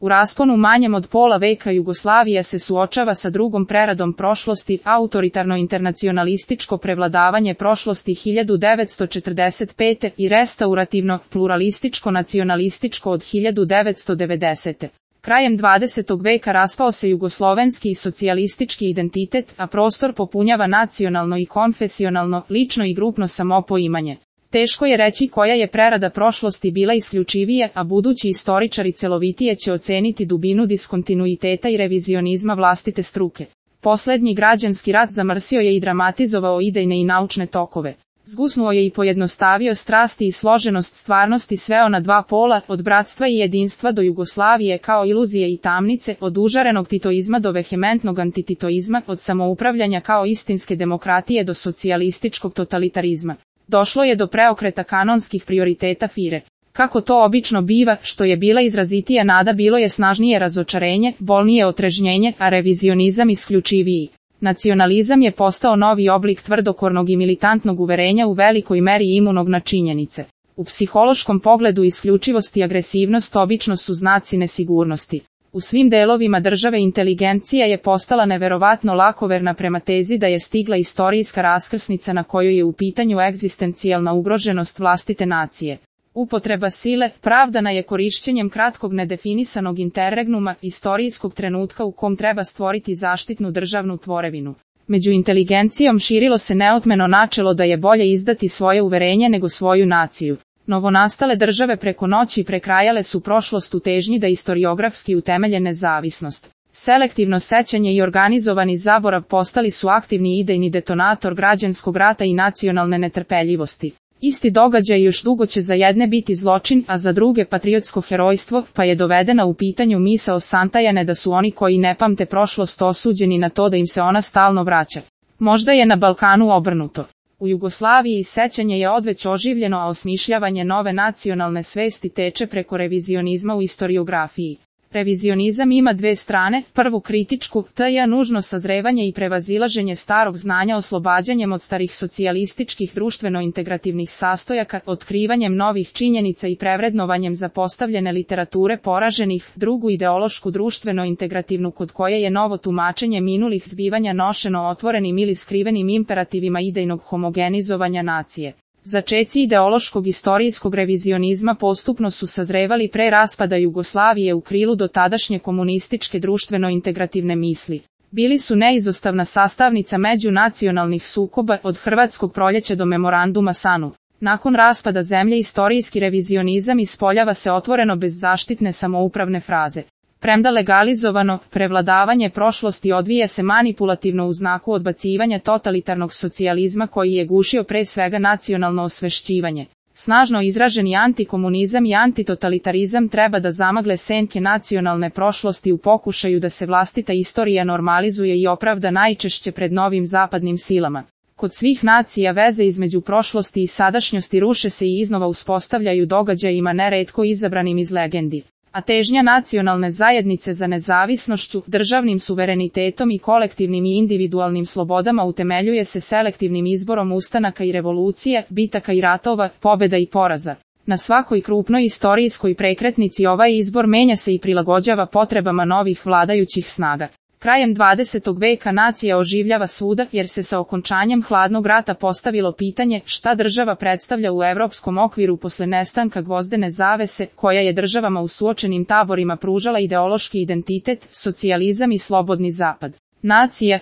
U rasponu manjem od pola veka Jugoslavija se suočava sa drugom preradom prošlosti, autoritarno internacionalističko prevladavanje prošlosti 1945. i restaurativno, pluralističko nacionalističko od 1990. Krajem 20. veka raspao se jugoslovenski i socijalistički identitet, a prostor popunjava nacionalno i konfesionalno, lično i grupno samopoimanje. Teško je reći koja je prerada prošlosti bila isključivija, a budući istoričari celovitije će oceniti dubinu diskontinuiteta i revizionizma vlastite struke. Poslednji građanski rat zamrsio je i dramatizovao idejne i naučne tokove. Zgusnuo je i pojednostavio strasti i složenost stvarnosti sveo na dva pola, od bratstva i jedinstva do Jugoslavije kao iluzije i tamnice, od užarenog titoizma do vehementnog antititoizma, od samoupravljanja kao istinske demokratije do socijalističkog totalitarizma. Došlo je do preokreta kanonskih prioriteta FIRE. Kako to obično biva, što je bila izrazitija nada bilo je snažnije razočarenje, bolnije otrežnjenje, a revizionizam isključiviji. Nacionalizam je postao novi oblik tvrdokornog i militantnog uverenja u velikoj meri imunog na činjenice. U psihološkom pogledu isključivost i agresivnost obično su znaci nesigurnosti. U svim delovima države inteligencija je postala neverovatno lakoverna prema tezi da je stigla istorijska raskrsnica na kojoj je u pitanju egzistencijalna ugroženost vlastite nacije. Upotreba sile pravdana je korišćenjem kratkog nedefinisanog interregnuma, istorijskog trenutka u kom treba stvoriti zaštitnu državnu tvorevinu. Među inteligencijom širilo se neotmeno načelo da je bolje izdati svoje uverenje nego svoju naciju. Novonastale države preko noći prekrajale su prošlost u težnji da istoriografski utemelje nezavisnost. Selektivno sećanje i organizovani zaborav postali su aktivni idejni detonator građanskog rata i nacionalne netrpeljivosti. Isti događaj još dugo će za jedne biti zločin, a za druge patriotsko herojstvo, pa je dovedena u pitanju misao Santajane da su oni koji ne pamte prošlost osuđeni na to da im se ona stalno vraća. Možda je na Balkanu obrnuto. U Jugoslaviji sećanje je odveć oživljeno, a osmišljavanje nove nacionalne svesti teče preko revizionizma u istoriografiji. Revizionizam ima dve strane, prvu kritičku, to je nužno sazrevanje i prevazilaženje starog znanja oslobađanjem od starih socijalističkih društveno-integrativnih sastojaka, otkrivanjem novih činjenica i prevrednovanjem zapostavljene literature poraženih, drugu ideološku društveno-integrativnu kod koje je novo tumačenje minulih zbivanja nošeno otvorenim ili skrivenim imperativima idejnog homogenizovanja nacije. Začeci ideološkog istorijskog revizionizma postupno su sazrevali pre raspada Jugoslavije u krilu do tadašnje komunističke društveno-integrativne misli. Bili su neizostavna sastavnica međunacionalnih sukoba od Hrvatskog proljeća do memoranduma SANU. Nakon raspada zemlje istorijski revizionizam ispoljava se otvoreno bez zaštitne samoupravne fraze. Premda legalizovano, prevladavanje prošlosti odvija se manipulativno u znaku odbacivanja totalitarnog socijalizma koji je gušio pre svega nacionalno osvešćivanje. Snažno izraženi antikomunizam i antitotalitarizam treba da zamagle senke nacionalne prošlosti u pokušaju da se vlastita istorija normalizuje i opravda najčešće pred novim zapadnim silama. Kod svih nacija veze između prošlosti i sadašnjosti ruše se i iznova uspostavljaju događajima neretko izabranim iz legendi. A težnja nacionalne zajednice za nezavisnošću, državnim suverenitetom i kolektivnim i individualnim slobodama utemeljuje se selektivnim izborom ustanaka i revolucije, bitaka i ratova, pobeda i poraza. Na svakoj krupnoj istorijskoj prekretnici ovaj izbor menja se i prilagođava potrebama novih vladajućih snaga. Krajem 20. veka nacija oživljava svuda jer se sa okončanjem hladnog rata postavilo pitanje šta država predstavlja u evropskom okviru posle nestanka gvozdene zavese koja je državama u suočenim taborima pružala ideološki identitet, socijalizam i slobodni zapad. Nacija,